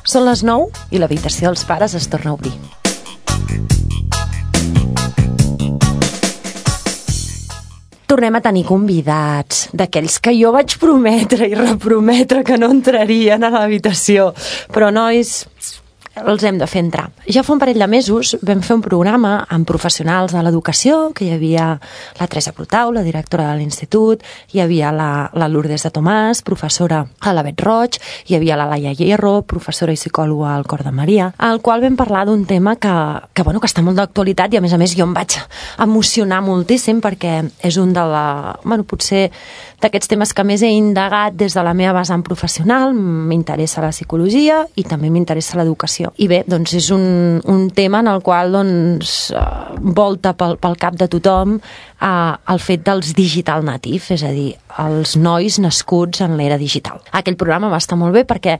Són les 9 i l'habitació dels pares es torna a obrir. Tornem a tenir convidats, d'aquells que jo vaig prometre i reprometre que no entrarien a l'habitació. Però, nois, els hem de fer entrar. Ja fa un parell de mesos vam fer un programa amb professionals de l'educació, que hi havia la Teresa Protau, la directora de l'institut, hi havia la Lourdes de Tomàs, professora a la Bet Roig, hi havia la Laia Hierro, professora i psicòloga al Cor de Maria, al qual vam parlar d'un tema que està molt d'actualitat i a més jo em vaig emocionar moltíssim perquè és un potser d'aquests temes que més he indagat des de la meva vessant professional. M'interessa la psicologia i també m'interessa l'educació. I bé, doncs és un tema en el qual volta pel cap de tothom el fet dels digital native, és a dir, els nois nascuts en l'era digital. Aquell programa va estar molt bé perquè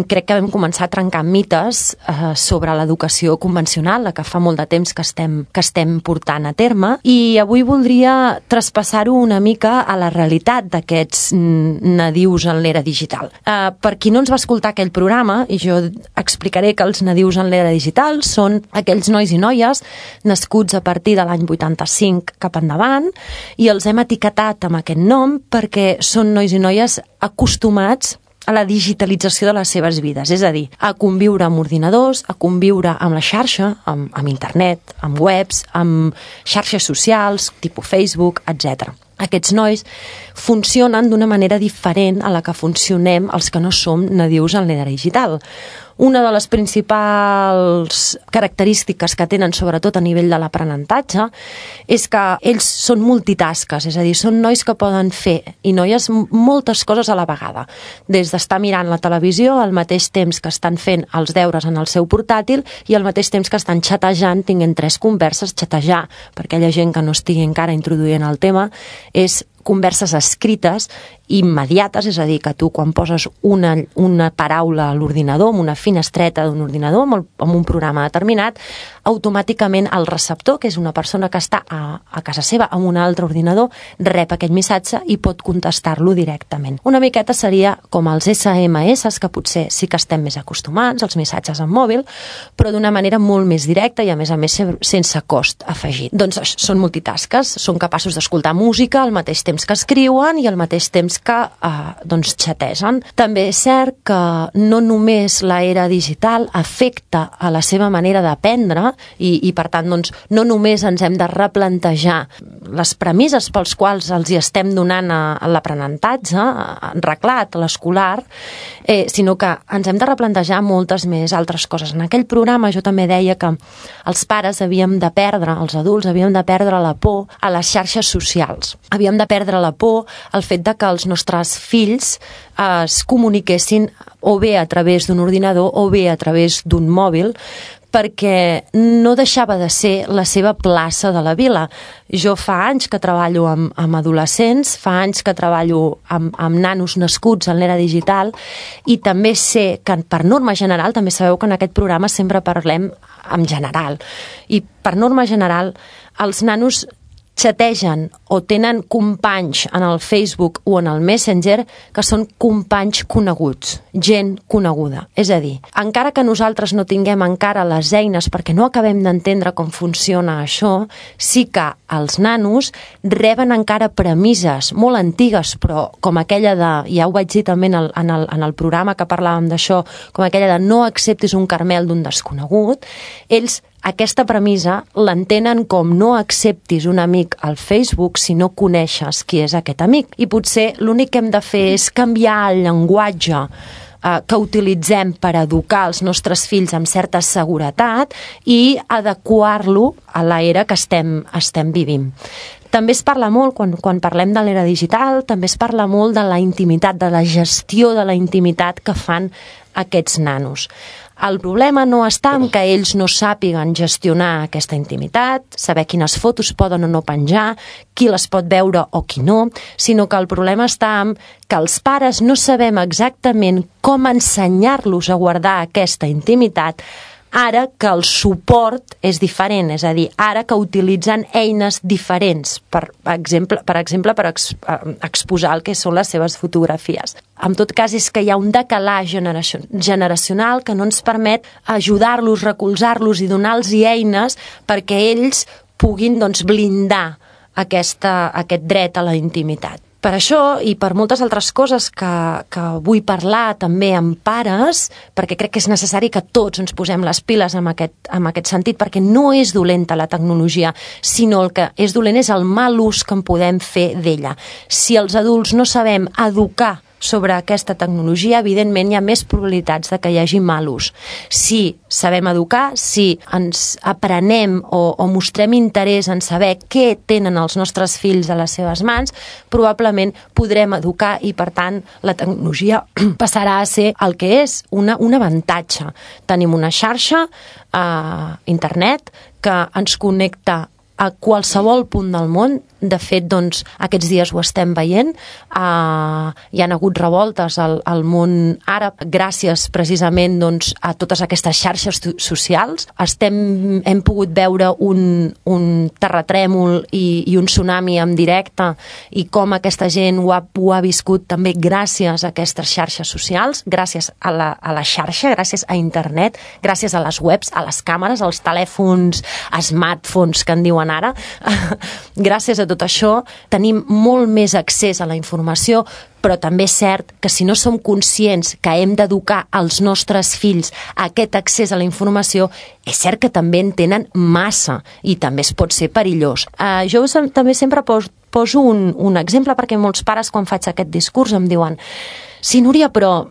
crec que vam començar a trencar mites sobre l'educació convencional, la que fa molt de temps que estem portant a terme, i avui voldria traspassar-ho una mica a la realitat d'aquests nadius en l'era digital. Per qui no ens va escoltar aquell programa, i jo explicaré que els nadius en l'era digital són aquells nois i noies nascuts a partir de l'any 85 cap endavant, i els hem etiquetat amb aquest nom perquè són nois i noies acostumats a la digitalització de les seves vides, és a dir, a conviure amb ordinadors, a conviure amb la xarxa, amb internet, amb webs, amb xarxes socials, tipus Facebook, etc. Aquests nois funcionen d'una manera diferent a la que funcionem els que no som nadius en l'era digital. Una de les principals característiques que tenen, sobretot a nivell de l'aprenentatge, és que ells són multitasques, és a dir, són nois que poden fer, i noies, moltes coses a la vegada. Des d'estar mirant la televisió al mateix temps que estan fent els deures en el seu portàtil i al mateix temps que estan xatejant, tinguent 3 converses. Xatejar, per aquella gent que no estigui encara introduint el tema, és converses escrites immediates, és a dir, que tu quan poses una paraula a l'ordinador, amb una finestreta d'un ordinador, amb un programa determinat, automàticament el receptor, que és una persona que està a casa seva amb un altre ordinador, rep aquest missatge i pot contestar-lo directament. Una miqueta seria com els SMS, que potser sí que estem més acostumats, els missatges en mòbil, però d'una manera molt més directa i a més sense cost afegit. Doncs són multitasques, són capaços d'escoltar música al mateix temps que escriuen i al mateix temps que xategen. També és cert que no només l'era digital afecta a la seva manera d'aprendre i per tant no només ens hem de replantejar les premisses pels quals els hi estem donant a l'aprenentatge reglat, l'escolar, sinó que ens hem de replantejar moltes més altres coses. En aquell programa jo també deia que els pares els adults havíem de perdre la por a les xarxes socials. Havíem de perdre la por al fet de que els nostres fills es comuniquessin o bé a través d'un ordinador o bé a través d'un mòbil, perquè no deixava de ser la seva plaça de la vila. Jo fa anys que treballo amb adolescents, fa anys que treballo amb nanos nascuts en l'era digital, i també sé que per norma general, també sabeu que en aquest programa sempre parlem en general, i per norma general els nanos xategen o tenen companys en el Facebook o en el Messenger que són companys coneguts, gent coneguda. És a dir, encara que nosaltres no tinguem encara les eines perquè no acabem d'entendre com funciona això, sí que els nanos reben encara premisses molt antigues, però com aquella de, ja ho vaig dir també en el programa que parlàvem d'això, com aquella de no acceptis un caramel d'un desconegut, ells aquesta premissa l'entenen com no acceptis un amic al Facebook si no coneixes qui és aquest amic. I potser l'únic que hem de fer és canviar el llenguatge que utilitzem per educar els nostres fills amb certa seguretat i adequar-lo a l'era que estem vivint. També es parla molt, quan parlem de l'era digital, també es parla molt de la intimitat, de la gestió de la intimitat que fan aquests nanos. El problema no està en que ells no sàpiguen gestionar aquesta intimitat, saber quines fotos poden o no penjar, qui les pot veure o qui no, sinó que el problema està en que els pares no sabem exactament com ensenyar-los a guardar aquesta intimitat ara que el suport és diferent, és a dir, ara que utilitzen eines diferents, per exemple, per exposar el que són les seves fotografies. En tot cas, és que hi ha un decalatge generacional que no ens permet ajudar-los, recolzar-los i donar-los eines perquè ells puguin blindar aquest dret a la intimitat. Per això i per moltes altres coses que vull parlar també amb pares, perquè crec que és necessari que tots ens posem les piles en aquest sentit, perquè no és dolenta la tecnologia, sinó el que és dolent és el mal ús que en podem fer d'ella. Si els adults no sabem educar sobre aquesta tecnologia, evidentment hi ha més probabilitats de que hi hagi mal ús. Si sabem educar, si ens aprenem o mostrem interès en saber què tenen els nostres fills a les seves mans, probablement podrem educar i, per tant, la tecnologia passarà a ser el que és, un avantatge. Tenim una xarxa, internet, que ens connecta a qualsevol punt del món. De fet, aquests dies ho estem veient. Hi han hagut revoltes al món àrab gràcies precisament a totes aquestes xarxes socials. Hem pogut veure un terratrèmol i un tsunami en directe i com aquesta gent ho ha viscut també gràcies a aquestes xarxes socials, gràcies a la xarxa, gràcies a internet, gràcies a les webs, a les càmeres, als telèfons, smartphones que en diuen ara. Gràcies a tot això tenim molt més accés a la informació, però també és cert que si no som conscients que hem d'educar els nostres fills a aquest accés a la informació, és cert que també en tenen massa i també es pot ser perillós. Jo també sempre poso un exemple, perquè molts pares quan faig aquest discurs em diuen: sí, Núria, però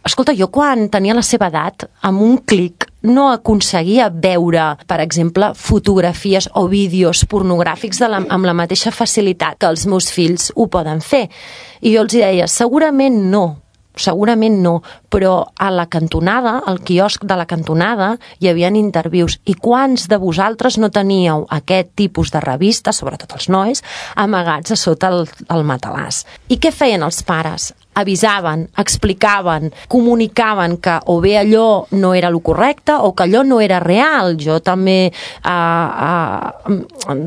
escolta, jo quan tenia la seva edat, amb un clic no aconseguia veure, per exemple, fotografies o vídeos pornogràfics amb la mateixa facilitat que els meus fills ho poden fer. I jo els deia, segurament no, però a la cantonada, al quiosc de la cantonada, hi havia intervius. I quants de vosaltres no teníeu aquest tipus de revistes, sobretot els nois, amagats a sota el matalàs? I què feien els pares? Avisaven, explicaven, comunicaven que o bé allò no era el correcte o que allò no era real. Jo també,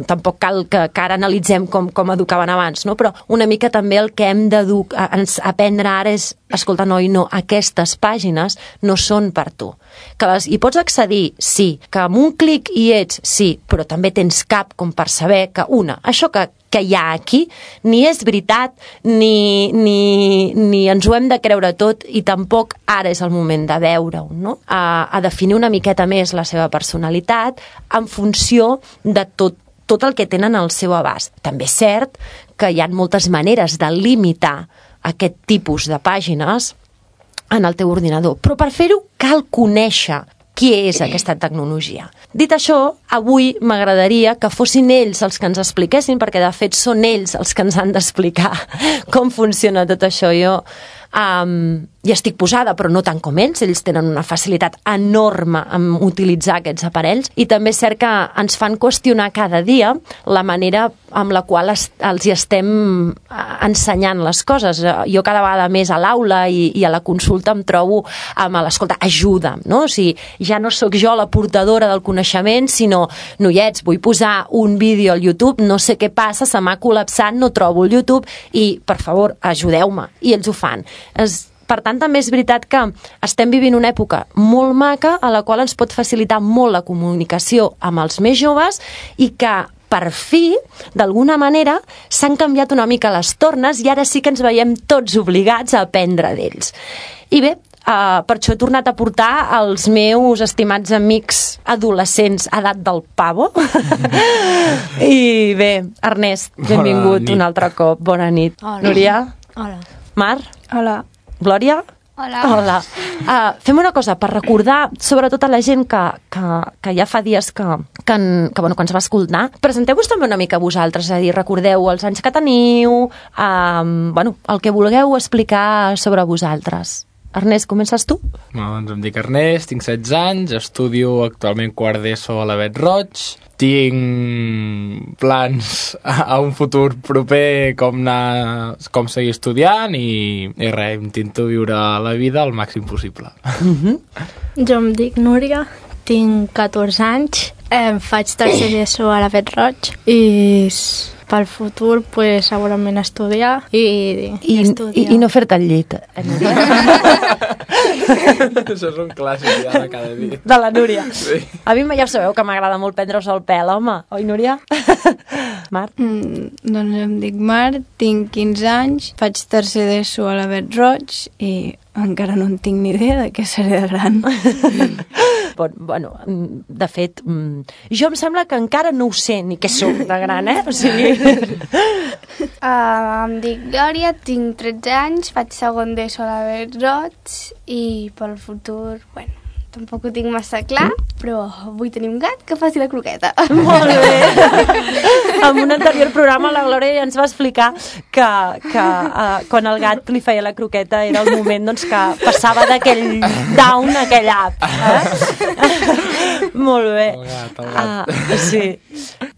tampoc cal que ara analitzem com educaven abans, no? Però una mica també el que hem d'aprendre ara és, escolta, noi, no, aquestes pàgines no són per tu. Que hi pots accedir, sí, que amb un clic hi ets, sí, però també tens cap com per saber que, això que hi ha aquí ni és veritat, ni ens ho hem de creure tot, i tampoc ara és el moment de veure-ho, no? A definir una miqueta més la seva personalitat en funció de tot el que tenen al seu abast. També és cert que hi ha moltes maneres de limitar aquest tipus de pàgines en el teu ordinador, però per fer-ho cal conèixer què és aquesta tecnologia. Dit això, avui m'agradaria que fossin ells els que ens expliquessin, perquè de fet són ells els que ens han d'explicar com funciona tot això. Jo hi estic posada, però no tant com ells tenen una facilitat enorme en utilitzar aquests aparells, i també és cert que ens fan qüestionar cada dia la manera amb la qual els hi estem ensenyant les coses. Jo cada vegada més a l'aula i a la consulta em trobo amb l'escolta, ajuda'm, no? O sigui, ja no sóc jo la portadora del coneixement, sinó, noiets, vull posar un vídeo al YouTube, no sé què passa, se m'ha col·lapsat, no trobo el YouTube, i, per favor, ajudeu-me. I ells ho fan. Per tant, també és veritat que estem vivint una època molt maca a la qual ens pot facilitar molt la comunicació amb els més joves, i que per fi, d'alguna manera, s'han canviat una mica les tornes i ara sí que ens veiem tots obligats a aprendre d'ells. I bé, per això he tornat a portar els meus estimats amics adolescents a edat del pavo. I bé, Ernest, benvingut un altre cop. Bona nit. Hola. Núria? Hola. Mar? Hola. Glòria? Hola. Hola. Fem una cosa, per recordar, sobretot a la gent que ja fa dies que ens va escoltar, presenteu-vos també una mica vosaltres, és a dir, recordeu els anys que teniu, el que vulgueu explicar sobre vosaltres. Ernest, comences tu? Doncs em dic Ernest, tinc 16 anys, estudio actualment quart d'ESO a l'Avet Roig, tinc plans a un futur proper com seguir estudiant i res, intento viure la vida al màxim possible. Jo em dic Núria, tinc 14 anys, faig tercer d'ESO a la Vet Roig i pel futur pues, segurament estudiar i estudiar. I no fer-te el llit. Això és un clàssic ja de cada dia. De la Núria. Sí. A mi ja sabeu que m'agrada molt prendre-us el pèl, home. Oi, Núria? Mar? Doncs em dic Mar, tinc 15 anys, faig tercer d'ESO a la Vet Roig i encara no en tinc ni idea de què seré de gran. Bueno, de fet, jo em sembla que encara no ho sé ni què soc de gran, O sigui... Em dic Glòria, tinc 13 anys, faig segon d'ESO a la Vet Roig i pel futur, bueno, tampoc ho tinc massa clar, però vull tenir un gat que faci la croqueta. Molt bé. En un anterior programa la Glòria ja ens va explicar que quan el gat li feia la croqueta era el moment doncs, que passava d'aquell down a aquell up. Molt bé. El gat. Sí.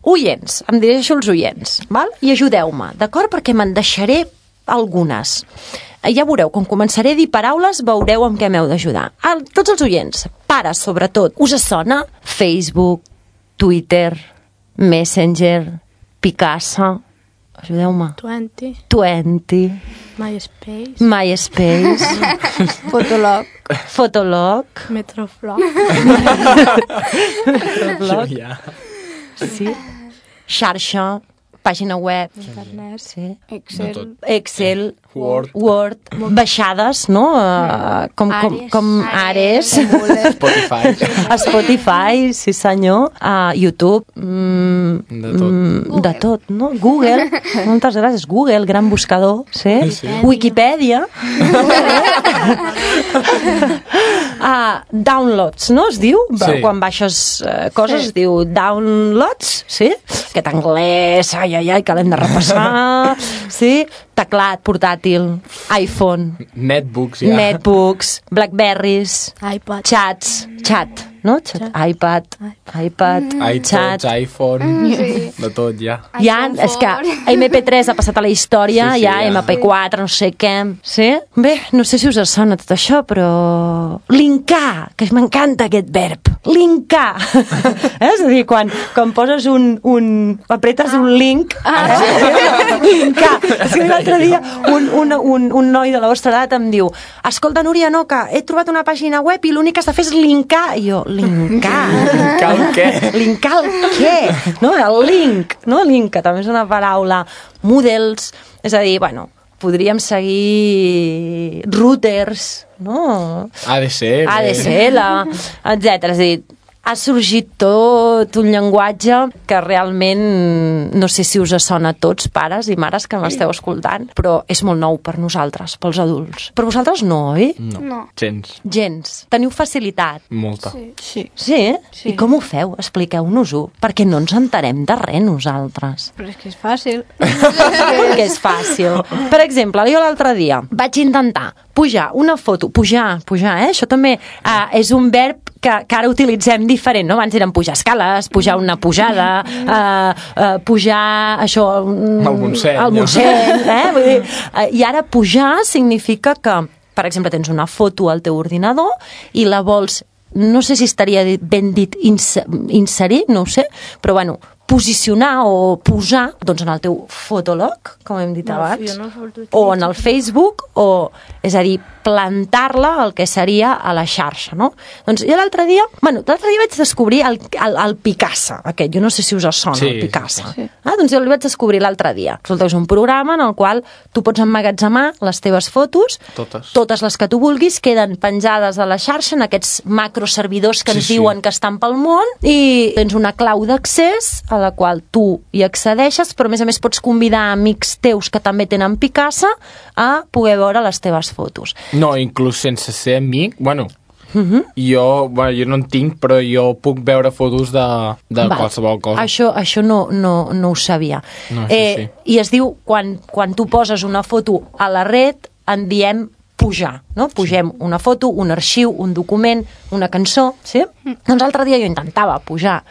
Oients, em dirigeixo als oients, val? I ajudeu-me, d'acord? Perquè me'n deixaré algunes. Ja veureu, quan començaré a dir paraules, veureu amb què m'heu d'ajudar. Tots els oients, pares sobretot, us sona Facebook, Twitter, Messenger, Picasa? Ajudeu-me. 20, MySpace, Fotolog, Metroflog, Ja. sí, xarxa, pàgina web, internet, sí. Excel, Word, baixades, no? Com Ares, Spotify, sí senyor, YouTube, de tot, no? Google, moltes gràcies, Google, gran buscador, sí? Wikipedia, downloads, no es diu? Sí. Quan baixes coses es diu downloads, sí? Aquest anglès, ai, que l'hem de repassar, sí? Teclat, portàtil, iPhone, Netbooks, ja. Netbooks, Blackberries, iPad, chat, no? iPad, iTunes, chat. iPhone, de tot, ja. Ja, és que MP3 ha passat a la història, Sí, ja ja. MP4, no sé què. Sí? Bé, no sé si us sona tot això, però... Linkar, que m'encanta aquest verb. Linkar. És a dir, quan poses apretes un link... Linkar. És que l'altre dia un noi de la vostra edat em diu: escolta, Núria, no, que he trobat una pàgina web i l'únic que has de fer és linkar. I jo, linkar? Linkar el què? Linkar el què? No? El link, no? Link, que també és una paraula. Models, és a dir, bueno, podríem seguir routers, no? ADSL, etc. És a dir, ha sorgit tot un llenguatge que realment no sé si us sona a tots, pares i mares que m'esteu escoltant, però és molt nou per nosaltres, pels adults. Per vosaltres no, oi? No. Gens. Teniu facilitat? Molta. Sí. Sí? I com ho feu? Expliqueu-nos-ho, perquè no ens enterem de res nosaltres. Però és que és fàcil. Que és fàcil. Per exemple, jo l'altre dia vaig intentar pujar una foto, pujar, això també és un verb que ara utilitzem diferent, no? Abans eren pujar escales, pujar una pujada, pujar això... El Montseny. El Montseny, Vull dir, i ara pujar significa que, per exemple, tens una foto al teu ordinador i la vols, no sé si estaria ben dit inserir, no ho sé, però bueno, posicionar o posar doncs, en el teu fotolog, com hem dit abans, o en el Facebook, o, és a dir, plantar-la el que seria a la xarxa, no? Doncs jo l'altre dia vaig descobrir el Picasa, aquest, jo no sé si us sona, el Picasa. Sí. Doncs jo el vaig descobrir l'altre dia. Resulta que és un programa en el qual tu pots emmagatzemar les teves fotos, totes les que tu vulguis, queden penjades a la xarxa en aquests macroservidors que ens diuen que estan pel món, i tens una clau d'accés a la qual tu hi accedeixes, però a més pots convidar amics teus que també tenen Picasa a poder veure les teves fotos. No, inclús sense ser amic, bueno, jo no en tinc, però jo puc veure fotos de qualsevol cosa. Això no ho sabia. No, sí. I es diu, quan tu poses una foto a la red, en diem pujar, no? Pugem una foto, un arxiu, un document, una cançó, sí? Doncs l'altre dia jo intentava pujar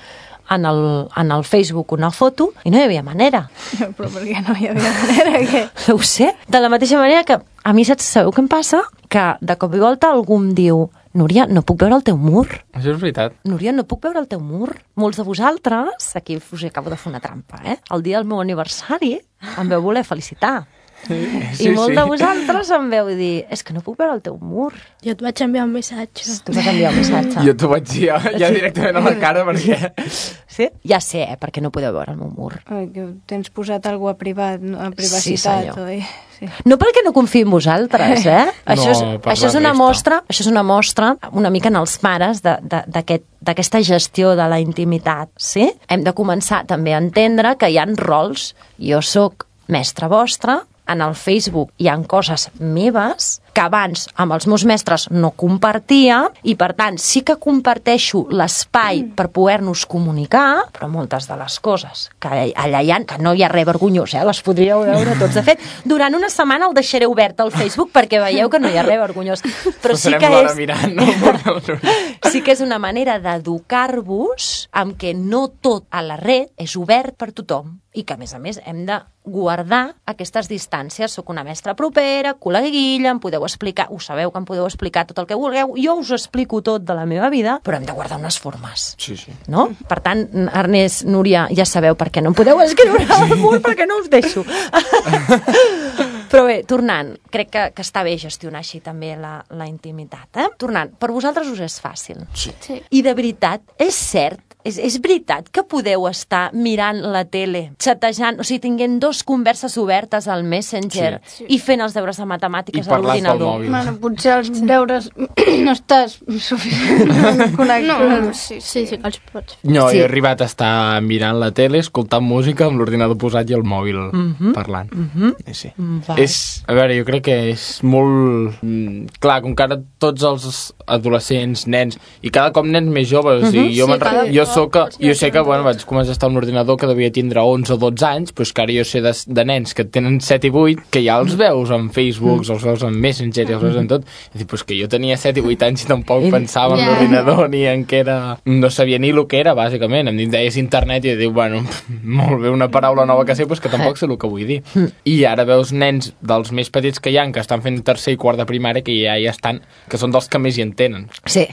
en el Facebook una foto i no hi havia manera. Però per què no hi havia manera? Que... No ho sé. De la mateixa manera que a mi sabeu què em passa? Que de cop i volta algú em diu: Núria, no puc veure el teu mur. Això és veritat. Núria, no puc veure el teu mur. Molts de vosaltres, aquí us acabo de fer una trampa, el dia del meu aniversari em veu voler felicitar. I molts de vosaltres em veu dir, és que no puc veure el teu mur. Jo et vaig enviar un missatge. Tu vas enviar un missatge. Jo t'ho vaig dir ja directament a la cara, perquè... Sí? Ja sé, perquè no podeu veure el meu mur. Que tens posat alguna a privacitat. Sí, senyor. Oi? Sí. No perquè no confiï en vosaltres, això és una mostra, una mica en els pares d'aquesta gestió de la intimitat, sí? Hem de començar també a entendre que hi ha rols. Jo sóc mestra vostra, en el Facebook hi ha coses meves que abans amb els meus mestres no compartia i, per tant, sí que comparteixo l'espai per poder-nos comunicar, però moltes de les coses que allà hi ha, que no hi ha res vergonyós, les podríeu veure tots. De fet, durant una setmana el deixaré obert al Facebook perquè veieu que no hi ha res vergonyós. Però sí que és una manera d'educar-vos amb que no tot a la red és obert per tothom i que, a més, hem de guardar aquestes distàncies. Soc una mestra propera, col·leguilla, em podeu explicar, ho sabeu que em podeu explicar tot el que vulgueu, jo us explico tot de la meva vida, però hem de guardar unes formes. Sí. No? Per tant, Ernest, Núria, ja sabeu per què no em podeu escriure al mur, perquè no us deixo. Però bé, tornant, crec que està bé gestionar així també la intimitat. Tornant, per vosaltres us és fàcil. Sí. I de veritat, és cert, és veritat que podeu estar mirant la tele, xatejant, o sigui, tinguent 2 converses obertes al Messenger i fent els deures de matemàtiques a l'ordinador. Bueno, potser els deures no estàs suficientment connectat. Sí, que els pots. No, he arribat a estar mirant la tele, escoltant música amb l'ordinador posat i el mòbil parlant. Sí. A veure, jo crec que és molt... Clar, com que ara tots els adolescents, nens, i cada cop nens més joves, o sigui, jo sé que vaig començar a estar amb un ordinador que devia tindre 11 o 12 anys, però és que ara jo sé de nens que tenen 7 i 8, que ja els veus en Facebook, els veus en Messenger, els veus en tot. És dir, pues que jo tenia 7 i 8 anys i tampoc pensava en l'ordinador ni en què era... No sabia ni el que era, bàsicament. Em deies internet i diu, bueno, molt bé, una paraula nova que sé, però que tampoc sé el que vull dir. I ara veus nens dels més petits que hi ha, que estan fent tercer i quart de primària, que ja hi estan, que són dels que més hi entenen. Sí.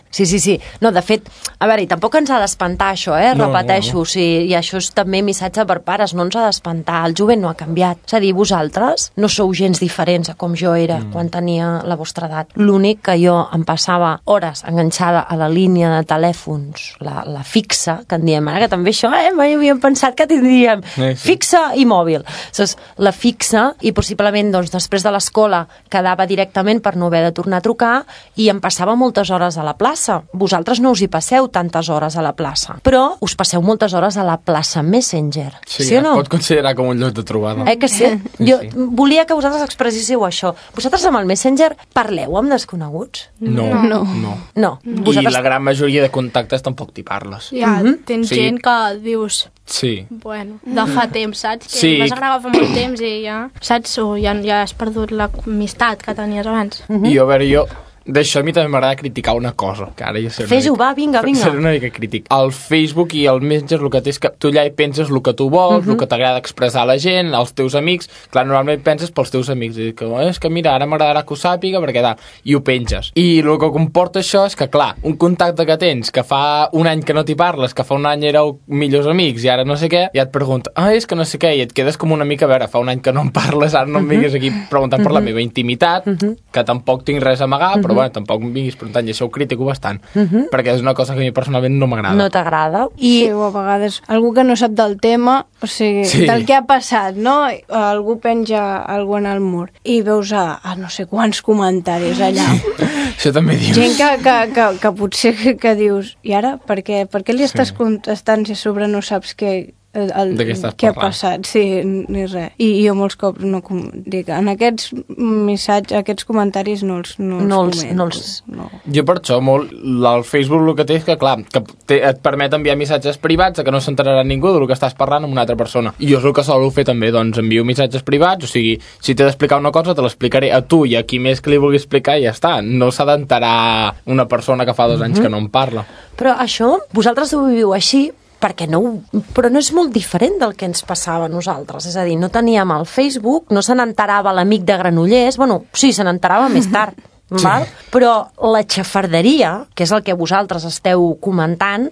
No, de fet, a veure, i tampoc ens ha d'espantar això, repeteixo, o sigui, i això és també missatge per pares, no ens ha d'espantar, el jovent no ha canviat. És a dir, vosaltres no sou gens diferents a com jo era quan tenia la vostra edat. L'únic que jo em passava hores enganxada a la línia de telèfons, la fixa, que en diem ara, que també això, mai havíem pensat que tindríem fixa i mòbil. Llavors, la fixa, i possiblement doncs, després de l'escola quedava directament per no haver de tornar a trucar i em passava moltes hores a la plaça. Vosaltres no us hi passeu tantes hores a la plaça, però us passeu moltes hores a la plaça Messenger. Sí o no? Es pot considerar com un lloc de trobada. Que sí? Jo volia que vosaltres expressíssiu això. Vosaltres amb el Messenger parleu amb desconeguts? No. Vosaltres... I la gran majoria de contactes tampoc t'hi parles. Tens gent que dius... Sí. Bueno, de fa temps, saps? Que vas agradar fa molt temps i ja... Saps? O ja has perdut l'amistat que tenies abans. I a veure, d'això a mi també m'agrada criticar una cosa, que ara ja sé... Fes-ho, va, vinga. Seré una mica crític. El Facebook i el Messenger el que té és que tu allà hi penses el que tu vols, el que t'agrada expressar a la gent, als teus amics. Clar, normalment penses pels teus amics. I que, és que mira, ara m'agradarà que ho sàpiga perquè tal. I ho penges. I el que comporta això és que, clar, un contacte que tens que fa un any que no t'hi parles, que fa un any éreu millors amics i ara no sé què, ja et pregunta, és que no sé què, i et quedes com una mica, a veure, fa un any que no em parles, ara no em vinguis aquí preguntant per la meva intimitat, que tampoc tinc res a amagar, però bueno, tampoc em vinguis preguntant, i això ho critico bastant, perquè és una cosa que a mi personalment no m'agrada. No t'agrada? Sí, o a vegades algú que no sap del tema, o sigui, del que ha passat, no? Algú penja algú en el mur i veus a no sé quants comentaris allà. Això també dius. Gent que potser que dius, i ara? Per què li estàs contestant si a sobre no saps què ha passat, ni res. I jo molts cops no dic, en aquests missatges, aquests comentaris no els comento. Jo per això, el Facebook el que té és que, clar, et permet enviar missatges privats que no s'enterarà ningú del que estàs parlant amb una altra persona. I jo és el que solo fer també, doncs envio missatges privats, o sigui, si t'he d'explicar una cosa te l'explicaré a tu i a qui més que li vulgui explicar i ja està. No s'ha d'enterar una persona que fa 2 anys que no em parla. Però això, vosaltres ho viviu així, però no és molt diferent del que ens passava a nosaltres. És a dir, no teníem el Facebook, no se n'enterava l'amic de Granollers, bueno, sí, se n'enterava més tard, val? Però la xafarderia, que és el que vosaltres esteu comentant,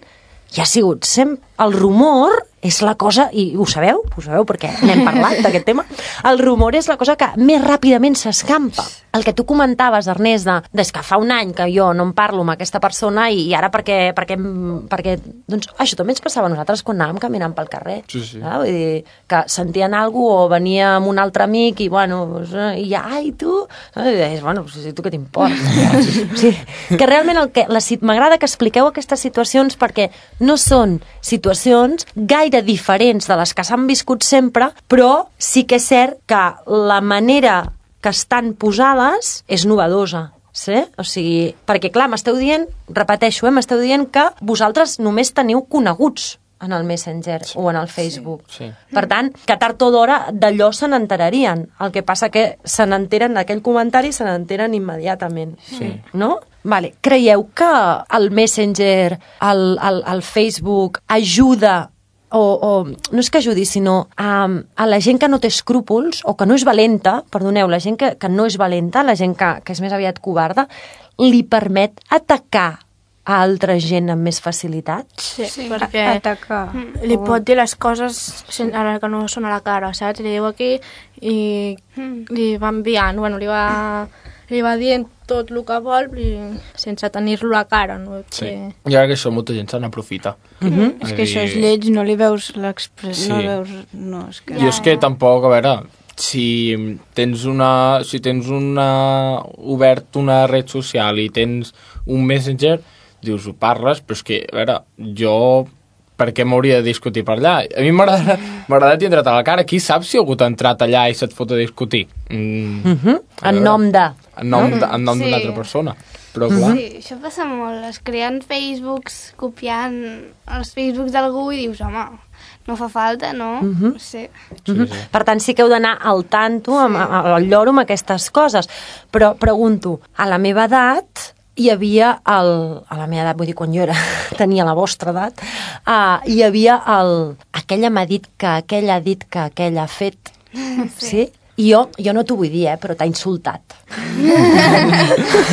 ja ha sigut sempre... El rumor és la cosa, i ho sabeu perquè n'hem parlat d'aquest tema, el rumor és la cosa que més ràpidament s'escampa. El que tu comentaves, Ernest, des que fa un any que jo no em parlo amb aquesta persona i ara perquè doncs això també ens passava a nosaltres quan anàvem caminant pel carrer. Sí. Vull dir, que sentien alguna cosa o venia amb un altre amic i bueno, i ja, ai, tu? I deies, bueno, tu què t'importa? Sí, que realment m'agrada que expliqueu aquestes situacions perquè no són situacions gaire diferents de les que s'han viscut sempre, però sí que és cert que la manera que estan posades és novedosa. Sí? O sigui, perquè clar, m'esteu dient, repeteixo, m'esteu dient que vosaltres només teniu coneguts en el Messenger o en el Facebook. Sí. Per tant, que tard o d'hora d'allò se n'enterarien. El que passa que se n'enteren d'aquell comentari, se n'enteren immediatament. Sí. No? Vale. Creieu que el Messenger, el Facebook, ajuda o no és que ajudi, sinó a la gent que no té escrúpols o que no és valenta, perdoneu, la gent que no és valenta, la gent que és més aviat covarda, li permet atacar a altra gent amb més facilitat? Sí, perquè li pot dir les coses ara que no són a la cara, saps? Li diu aquí i li va enviant, bueno, li va dient tot el que vol sense tenir-lo a cara, no? Sí. I ara que això molta gent se n'aprofita. És que això és lleig, no li veus l'expressió, no veus... No, és que... Jo és que tampoc, a veure, si tens obert una red social i tens un Messenger, dius, ho parles, però és que, a veure, jo per què m'hauria de discutir per allà? A mi m'agrada tindre't a la cara. Qui sap si algú t'ha entrat allà i se't fot a discutir? En nom de... En nom d'una altra persona. Però, clar... Sí, això passa molt. Es creen Facebooks copiant els Facebooks d'algú i dius, home, no fa falta, no? Sí. Per tant, sí que heu d'anar al tanto, al lloro amb aquestes coses. Però pregunto, a la meva edat... hi havia a la meva edat, vull dir, quan jo tenia la vostra edat, hi havia aquella m'ha dit que aquella ha dit que aquella ha fet. Sí? I jo no t'ho vull dir, però t'ha insultat.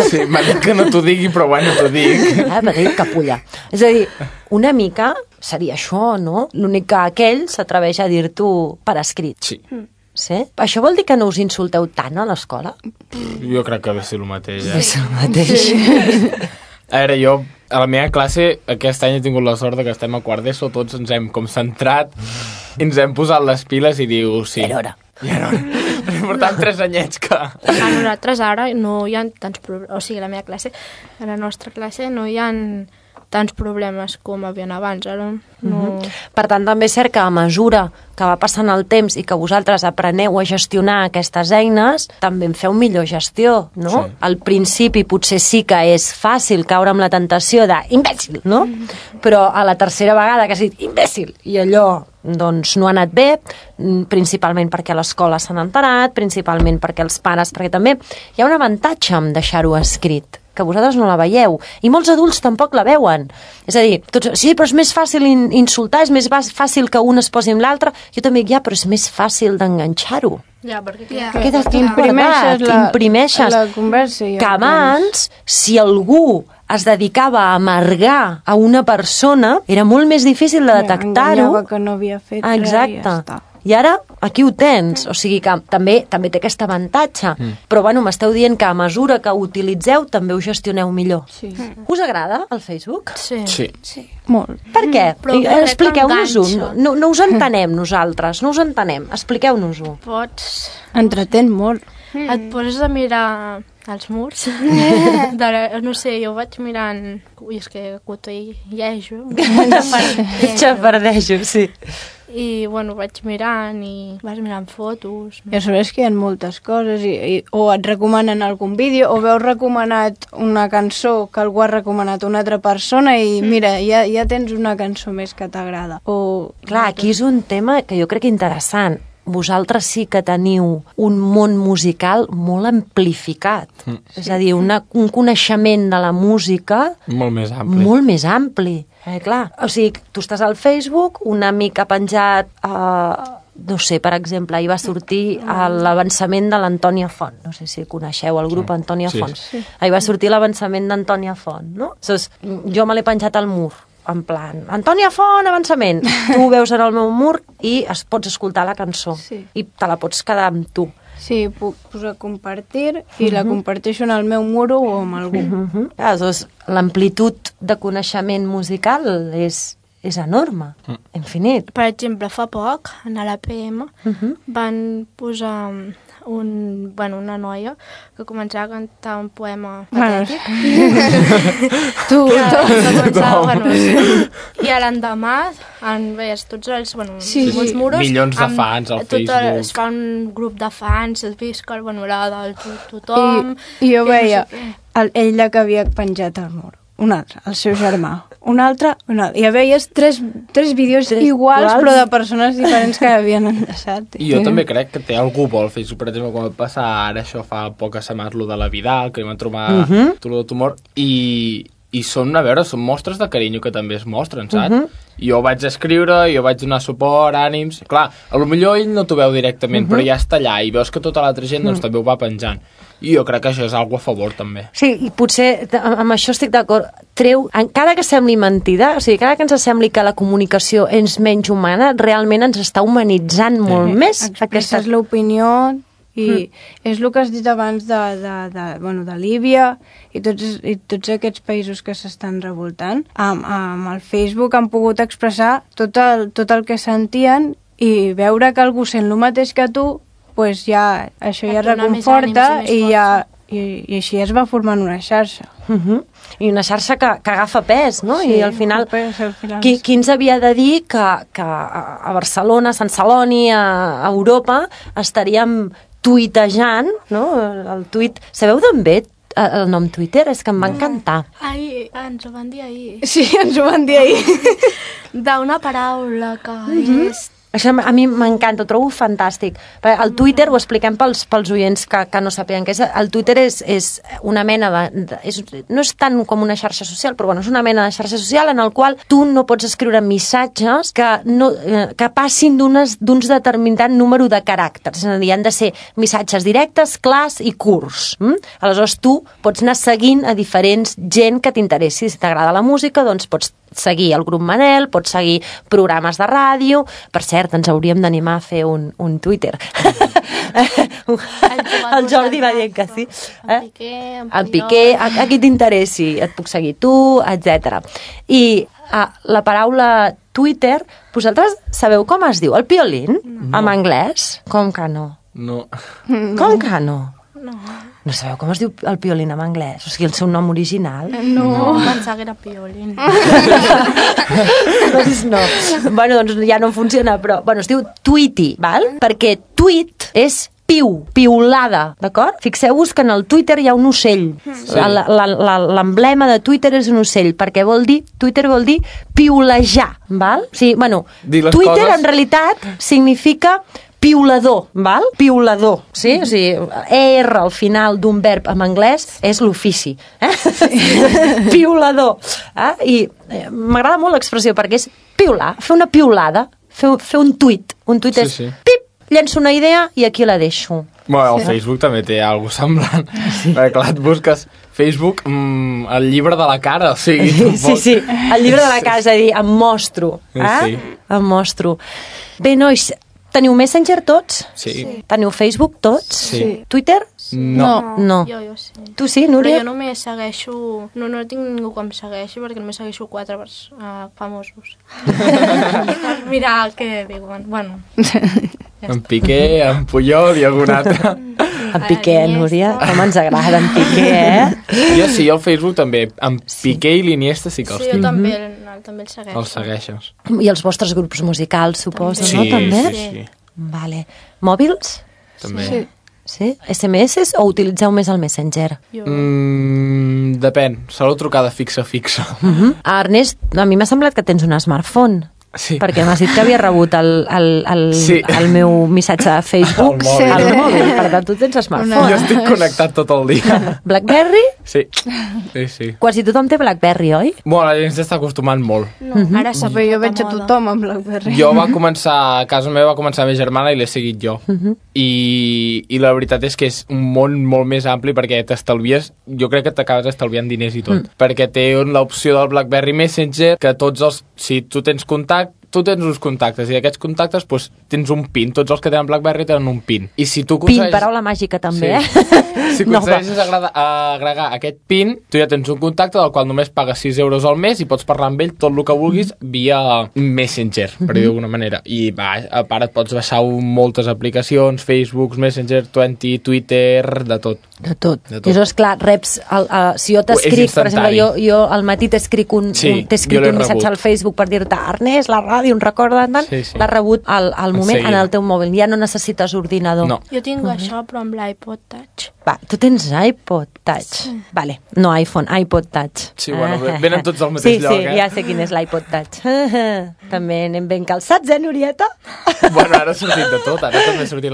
Sí, m'ha dit que no t'ho digui, però bueno, t'ho dic. M'ha dit capulla. És a dir, una mica seria això, no? L'únic que aquell s'atreveix a dir-t'ho per escrit. Sí. Sí? Això vol dir que no us insulteu tant a l'escola? Jo crec que ve ser el mateix, Ve ser el mateix. A veure, jo a la meva classe aquest any he tingut la sort que estem a quart d'ESO, tots ens hem com centrat, ens hem posat les piles i diu, sí. Ja era hora. Però portem 3 anyets que... A nosaltres ara no hi ha tants problemes, o sigui, a la meva classe, a la nostra classe no hi ha tants problemes com havien abans, ara no... Per tant, també és cert que a mesura que va passant el temps i que vosaltres apreneu a gestionar aquestes eines, també en feu millor gestió, no? Sí. Al principi potser sí que és fàcil caure amb la tentació d'imbècil, no? Però a la tercera vegada que has dit imbècil i allò doncs no ha anat bé, principalment perquè a l'escola s'han enterat, principalment perquè els pares, perquè també hi ha un avantatge en deixar-ho escrit, que vosaltres no la veieu, i molts adults tampoc la veuen. És a dir, tots, sí, però és més fàcil insultar, és més fàcil que un es posi amb l'altre. Jo també dic, però és més fàcil d'enganxar-ho. Ja, perquè imprimeixes la conversa. Que abans, si algú es dedicava a amargar a una persona, era molt més difícil de detectar-ho. Enganyava que no havia fet res i ja està. I ara aquí ho tens, o sigui que també té aquest avantatge. Però bueno, m'esteu dient que a mesura que ho utilitzeu també ho gestioneu millor. Sí. Us agrada el Facebook? Sí. Molt. Per què? Expliqueu-nos-ho. No us entenem nosaltres, no us entenem. Expliqueu-nos-ho. Entretén molt. Et poses a mirar els murs. No sé, jo vaig mirant... Ui, és que cotellejo. Xafardejo, sí. I, bueno, vaig mirant i vas mirant fotos. Ja sabés que hi ha moltes coses o et recomanen algun vídeo o veus recomanat una cançó que algú ha recomanat a una altra persona i mira, ja tens una cançó més que t'agrada. Clar, aquí és un tema que jo crec interessant. Vosaltres sí que teniu un món musical molt amplificat. És a dir, un coneixement de la música molt més ampli. Clar, o sigui, tu estàs al Facebook, un amic ha penjat no sé, per exemple, ahir va sortir l'avançament de l'Antònia Font. No sé si coneixeu el grup Antònia Font. Sí. Ahir va sortir l'avançament d'Antònia Font, no? Jo me l'he penjat al mur, en plan, Antònia Font, avançament. Tu ho veus en el meu mur i pots escoltar la cançó. Sí. I te la pots quedar amb tu. Sí, puc posar compartir i la comparteixo en el meu muro o amb algú. Doncs l'amplitud de coneixement musical és enorme, infinit. Per exemple, fa poc, a l'APM, van posar una noia que començava a cantar un poema patètic. I a l'endemà veies tots els molts muros. Milions de fans al Facebook. Es fa un grup de fans, es visca el panorama de tothom. I jo veia ell que havia penjat al mur. Un altre, el seu germà. Un altre. I veies tres vídeos iguals, però de persones diferents que havien enllaçat. I jo també crec que té algú bo al Facebook. Per exemple, quan va passar ara, això fa poques setmanes, lo de la Vidal, que vam trobar tot el tumor, i són, a veure, són mostres de carinyo que també es mostren, saps? Jo vaig escriure, jo vaig donar suport, ànims. Clar, potser ell no t'ho veu directament, però ja està allà, i veus que tota l'altra gent també ho va penjant. I jo crec que això és algo a favor, també. Sí, i potser amb això estic d'acord. Encara que sembli mentida, o sigui, encara que ens sembli que la comunicació és menys humana, realment ens està humanitzant molt més. Expresses l'opinió i és el que has dit abans de Líbia i tots aquests països que s'estan revoltant. Amb el Facebook han pogut expressar tot el que sentien i veure que algú sent el mateix que tu, pues això ja reconforta i així es va formant una xarxa. I una xarxa que agafa pes, no? I al final, qui ens havia de dir que a Barcelona, a Sant Celoni, a Europa, estaríem tuitejant, no? El tuit... Sabeu d'on ve el nom Twitter? És que em va encantar. Ens ho van dir ahir. Sí, ens ho van dir ahir. D'una paraula que és... Això a mi m'encanta, ho trobo fantàstic. El Twitter, ho expliquem pels oients que no sapien què és. El Twitter és una mena no és tant com una xarxa social, però és una mena de xarxa social en el qual tu no pots escriure missatges que passin d'uns determinat número de caràcters. És a dir, han de ser missatges directes, clars i curts. Aleshores, tu pots anar seguint a diferents gent que t'interessi. Si t'agrada la música, doncs pots seguir el grup Manel, pots seguir programes de ràdio. Per cert, ens hauríem d'animar a fer un Twitter. El Jordi va dir que sí. El Piqué, a qui t'interessi, et puc seguir tu, etc. I la paraula Twitter, vosaltres sabeu com es diu? El piolín? En anglès? Com que no? No. Com que no? No. No sabeu com es diu el piolín en anglès? O sigui, el seu nom original? No. Pensava que era piolín. Doncs no. Bueno, doncs ja no funciona, però... Bueno, es diu tweety, val? Perquè tweet és piulada, d'acord? Fixeu-vos que en el Twitter hi ha un ocell. Sí. L'emblema de Twitter és un ocell, perquè Twitter vol dir piulejar, val? O sigui, bueno, Twitter en realitat significa piulador, val? Piulador, sí? O sigui, ER al final d'un verb en anglès és l'ofici. Piulador. I m'agrada molt l'expressió perquè és piular, fer una piulada, fer un tuit. Un tuit és pip, llenço una idea i aquí la deixo. Bueno, el Facebook també té alguna cosa semblant. Perquè clar, et busques Facebook, el llibre de la cara, o sigui... Sí, el llibre de la cara, és a dir, em mostro. Em mostro. Bé, nois, teniu Messenger tots? Sí. Teniu Facebook tots? Sí. Twitter? No. Jo sí. Tu sí, Núria? Però jo només segueixo... No tinc ningú que em segueixi perquè només segueixo 4 famosos. Mira què diuen. Bueno. En Piqué, en Puyol i algun altre. En Piqué, Núria, com ens agrada en Piqué, Jo sí, al Facebook també. En Piqué i l'Iniesta sí que els tinc. Sí, jo també el segueixo. Els segueixes. I els vostres grups musicals, suposo, no? També? Sí. Vale. Mòbils? També. Sí? SMS o utilitzeu més el Messenger? Depèn. Solo trucada fixa. Ernest, a mi m'ha semblat que tens un smartphone. Sí. Perquè m'has dit que havia rebut el meu missatge de Facebook al mòbil. Per tant, tu tens smartphone. Jo estic connectat tot el dia. BlackBerry? Sí. Quasi tothom té BlackBerry, oi? Bueno, la gent s'està acostumant molt. Ara saber, jo veig a tothom amb BlackBerry. Jo a casa meva va començar la meva germana i l'he seguit jo. I la veritat és que és un món molt més ampli perquè t'estalvies, jo crec que t'acabes estalviant diners i tot, perquè té l'opció del BlackBerry Messenger que si tu tens uns contactes i d'aquests contactes doncs, tens un PIN, tots els que tenen BlackBerry tenen un PIN. I si tu PIN, paraula màgica també, Si aconsegueixes agregar aquest PIN, tu ja tens un contacte del qual només pagues 6 euros al mes i pots parlar amb ell tot el que vulguis via Messenger, per dir d'alguna manera. I a part et pots baixar moltes aplicacions, Facebook, Messenger, Twitter, de tot. De tot. I això, esclar, reps... si jo t'escric, per exemple, jo al matí t'escric un missatge al Facebook per dir-te Ernest, la ràdio, un record de tant, l'has rebut al moment en el teu mòbil. Ja no necessites ordinador. No. Jo tinc això, però amb l'iPod Touch. Va, tu tens iPod Touch. Sí. Vale, no iPhone, iPod Touch. Sí, bueno, venen tots al mateix lloc, ja sé quin és l'iPod Touch. També anem ben calçats, Norieta? Bueno, ara ha sortit de tot. Ara també ha sortit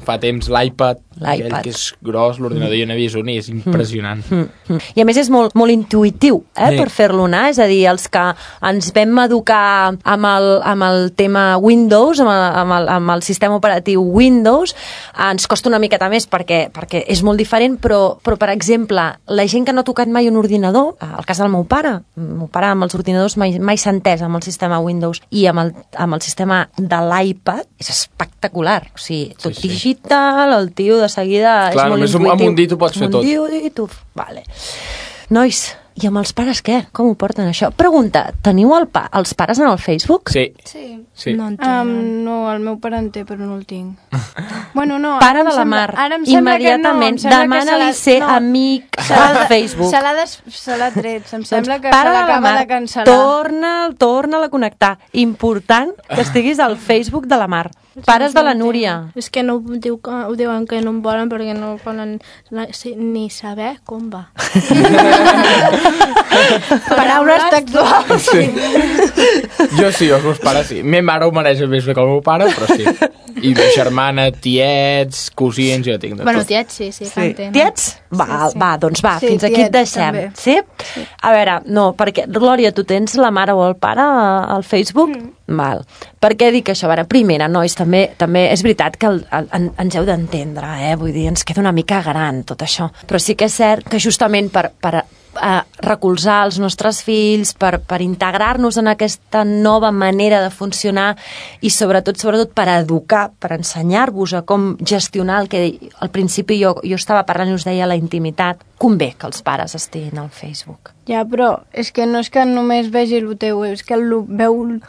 fa temps l'iPad, aquell que és gros, l'ordinador jo n'he vist un i és impressionant. I a més és molt intuïtiu, per fer-lo anar. És a dir, els que ens vam educar amb el tema Windows, amb el sistema operatiu Windows, ens costa una miqueta més perquè és molt diferent, però per exemple, la gent que no ha tocat mai un ordinador, el cas del meu pare amb els ordinadors mai s'ha entès amb el sistema Windows i amb el sistema de l'iPad, és espectacular. O sigui, tot digital, el tio de seguida és molt intuïtiu. Amb un dit ho pots fer tot. Amb un dit, vale. Nois, i amb els pares què? Com ho porten això? Pregunta, teniu els pares en el Facebook? Sí. No en tinc. No, el meu pare en té, però no el tinc. Bueno, no. Pare de la Mar, immediatament, demana-li ser amic al Facebook. Se l'ha tret, em sembla que se l'acaba de cancel·lar. Torna-la a connectar. Important que estiguis al Facebook de la Mar. Pares de la Núria. És que no ho diuen que no em volen perquè no volen ni saber com va. Paraules textuals. Jo sí, els meus pares sí. Ma mare ho mereix més bé que el meu pare, però sí. I ma germana, tiets, cosins, jo tinc de tot. Bueno, tiets sí, que en tenen. Tiets? Doncs va, fins aquí et deixem. Sí? A veure, no, perquè, Glòria, tu tens la mare o el pare al Facebook? Val. Per què dic això? A veure, primera, nois, també és veritat que ens heu d'entendre, vull dir, ens queda una mica gran tot això, però sí que és cert que justament per recolzar els nostres fills, per integrar-nos en aquesta nova manera de funcionar i sobretot per educar, per ensenyar-vos a com gestionar el que al principi jo estava parlant i us deia la intimitat, convé que els pares estiguin al Facebook. Ja, però és que no és que només vegi el teu, és que veu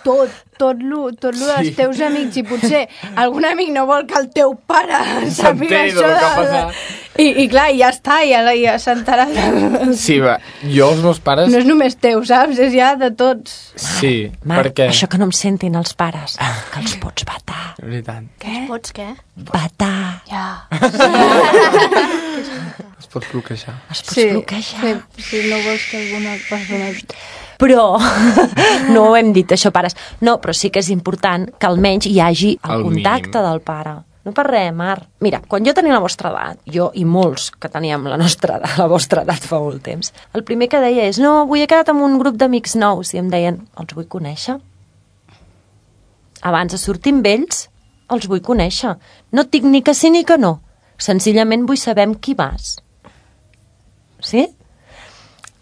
tot lo dels teus amics i potser algun amic no vol que el teu pare sàpiga això i clar, ja està, ja s'entarà. Sí, va, jo els meus pares... No és només teu, saps? És ja de tots. Sí, Marc, perquè... això que no em sentin els pares, que els pots vetar. De veritat. Què? Els pots què? Vetar. Ja. Es pot bloquejar. Es pots bloquejar. Si no vols que alguna persona... Però no ho hem dit, això, pares. No, però sí que és important que almenys hi hagi el contacte del pare. No per res, Mar. Mira, quan jo tenia la vostra edat, jo i molts que teníem la vostra edat fa molt temps, el primer que deia és, no, avui he quedat amb un grup d'amics nous, i em deien, els vull conèixer. Abans de sortir amb ells, els vull conèixer. No et dic ni que sí ni que no. Senzillament vull saber amb qui vas. Sí?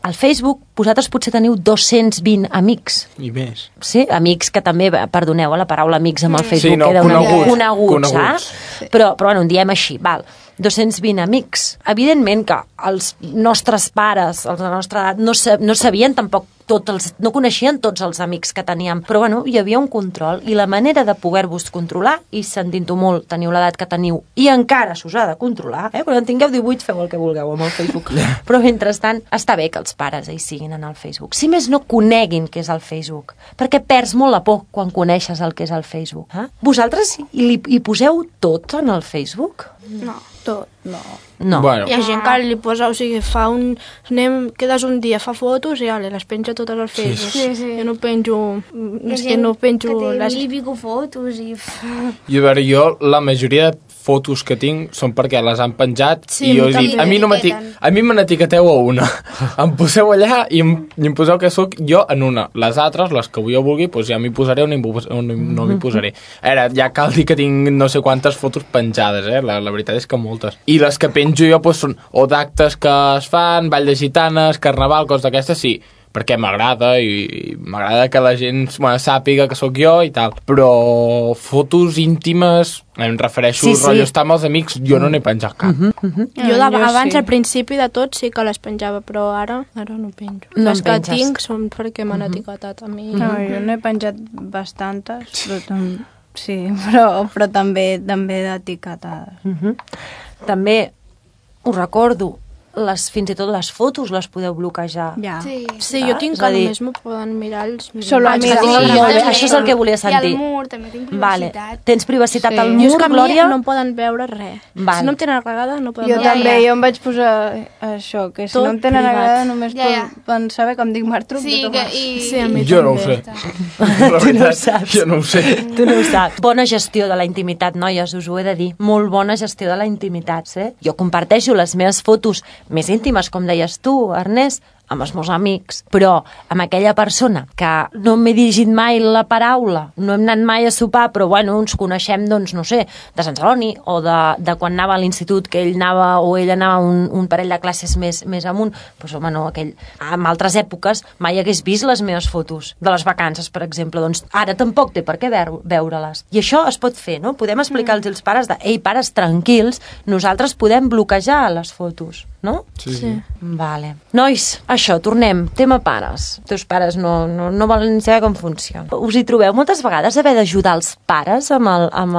Al Facebook, vosaltres potser teniu 220 amics. I més. Sí, amics que també, perdoneu, la paraula amics amb el Facebook sí, no, queda una mica coneguts, saps? Sí. Però bueno, en diem així, val. 220 amics. Evidentment que els nostres pares, els de la nostra edat, no sabien tampoc no coneixien tots els amics que teníem, però bueno, hi havia un control i la manera de poder-vos controlar, i sentint-ho molt, teniu l'edat que teniu i encara s'us ha de controlar, quan en tingueu 18 feu el que vulgueu amb el Facebook, però mentrestant està bé que els pares hi siguin en el Facebook, si més no coneguin què és el Facebook, perquè perds molt la por quan coneixes el que és el Facebook. Vosaltres hi poseu tot en el Facebook? No. tot, no. Bueno. Hi ha gent que li posa, o sigui, quedes un dia, fa fotos i les penja totes al Facebook. Sí. Jo no penjo... És que no penjo... Que té 1000 i pico fotos i... I a veure, jo la majoria de fotos que tinc són perquè les han penjat i jo dic, a mi me n'etiqueteu a una. Em poseu allà i em poseu que sóc jo en una. Les altres, les que jo vulgui, doncs ja m'hi posaré o no m'hi posaré. Ara, ja cal dir que tinc no sé quantes fotos penjades, la veritat és que moltes. I les que penjo jo doncs, són o d'actes que es fan, ball de gitanes, carnaval, coses d'aquestes, sí, perquè m'agrada i m'agrada que la gent sàpiga que sóc jo i tal. Però fotos íntimes, em refereixo rotllo estar amb els amics, jo no n'he penjat cap. Jo abans, al principi de tot, sí que les penjava, però ara no penjo. Les que tinc són perquè m'han etiquetat a mi. No, jo n'he penjat bastantes, però també d'etiquetades. També us recordo, fins i tot les fotos les podeu bloquejar. Ja. Sí, jo tinc que només m'ho poden mirar els Solo amics. Això és el que volia sentir. I al mur també tinc privacitat. Tens privacitat al Jo mur, és que a mi Glòria? no em poden veure res. Si no em tenen agradada, no poden Jo veure també, jo em vaig posar això, que si no em tenen agradada només poden saber com dic Martruc. Sí, a mi jo no ho sé. Tu no ho saps. Jo no ho sé. Tu no ho saps. Bona gestió de la intimitat, noies, us ho he de dir. Molt bona gestió de la intimitat, Jo comparteixo les meves fotos més íntimes, com deies tu, Ernest, amb els meus amics, però amb aquella persona que no m'he dirigit mai la paraula, no hem anat mai a sopar, però bueno, ens coneixem, doncs, no sé, de Sant Celoni o de quan anava a l'institut, que ell anava o ell anava un parell de classes més amunt, doncs home, no, en altres èpoques mai hagués vist les meves fotos de les vacances, per exemple, doncs ara tampoc té per què veure-les. I això es pot fer, no? Podem explicar-los als pares ei, pares, tranquils, nosaltres podem bloquejar les fotos, no? Sí. Vale. Nois, això, tornem. Tema pares. Els teus pares no volen saber com funciona. Us hi trobeu moltes vegades haver d'ajudar els pares amb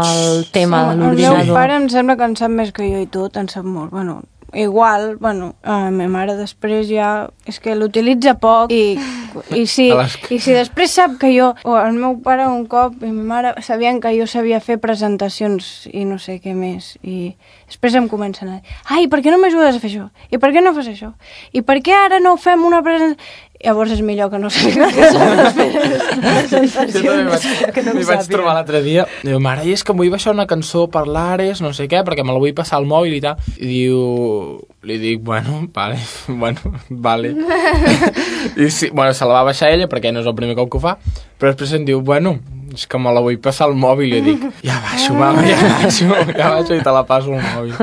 el tema de l'ordinador? El meu pare em sembla que en sap més que jo i tot, en sap molt. Bueno, igual, la meva mare després ja és que l'utilitza poc i si després sap que jo, o el meu pare un cop i ma mare sabien que jo sabia fer presentacions i no sé què més, i després em comencen a dir, ai, per què no m'ajudes a fer això? I per què no fas això? I per què ara no fem una presentació? Llavors és millor que no sàpiga què són les presentacions. M'hi vaig trobar l'altre dia. Diu, mare, és que em vull baixar una cançó per l'Ares, no sé què, perquè me la vull passar al mòbil i tal. I diu... Li dic, bueno, vale. I sí, se la va baixar ella, perquè no és el primer cop que ho fa, però després em diu, bueno, és que me la vull passar al mòbil. I jo dic, ja baixo, mama, ja baixo i te la passo al mòbil.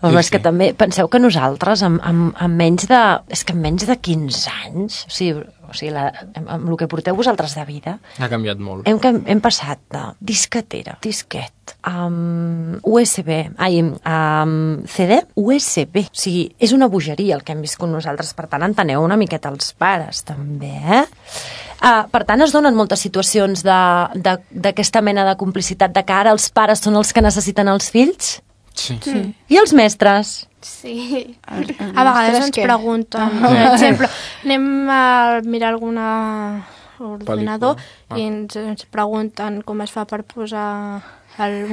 Home, és que també penseu que nosaltres amb menys de 15 anys, o sigui amb el que porteu vosaltres de vida, ha canviat molt. Hem passat de disquetera, disquet, USB, CD, USB. O sigui, és una bogeria el que hem viscut nosaltres, per tant, enteneu una miqueta els pares, també, per tant, es donen moltes situacions d'aquesta mena de complicitat de que ara els pares són els que necessiten els fills? Sí. I els mestres? Sí. A vegades ens pregunten, per exemple, anem a mirar alguna ordinador i ens pregunten com es fa per posar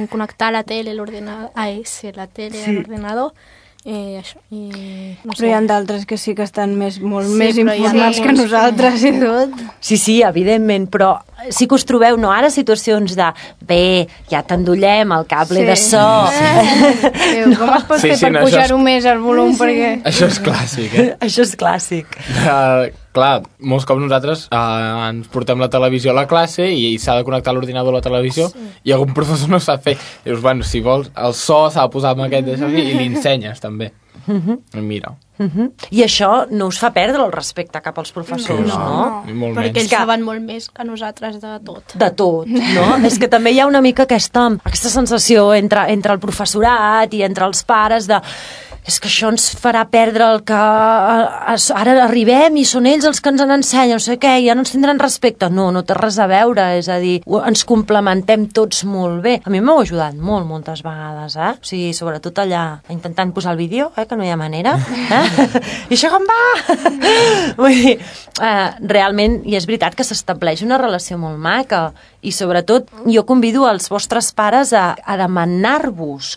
connectar la tele a l'ordinador, a l'ordinador. Això, no sé. Però hi ha d'altres que sí que estan molt més informats que nosaltres i tot. Sí, evidentment, però sí que us trobeu, no ara, situacions de ja t'endollem el cable de so. Com es pot fer per pujar-ho més al volum? Perquè... Això és clàssic, Això és clàssic. Clar, molts cops nosaltres ens portem la televisió a la classe i s'ha de connectar l'ordinador a la televisió i algun professor no sap fer. Dius, bueno, si vols, el so s'ha de posar amb aquest d'això i li ensenyes, també. Mira. I això no us fa perdre el respecte cap als professors, no? Perquè ells saben molt més que nosaltres de tot. De tot, no? És que també hi ha una mica aquesta sensació entre el professorat i entre els pares de... És que això ens farà perdre el que ara arribem i són ells els que ens en ensenyen, no sé què, ja no ens tindran respecte. No té res a veure, és a dir, ens complementem tots molt bé. A mi m'heu ajudat moltes vegades, O sigui, sobretot allà, intentant posar el vídeo, que no hi ha manera, I això com va? Vull dir, realment, i és veritat que s'estableix una relació molt maca, i sobretot jo convido els vostres pares a demanar-vos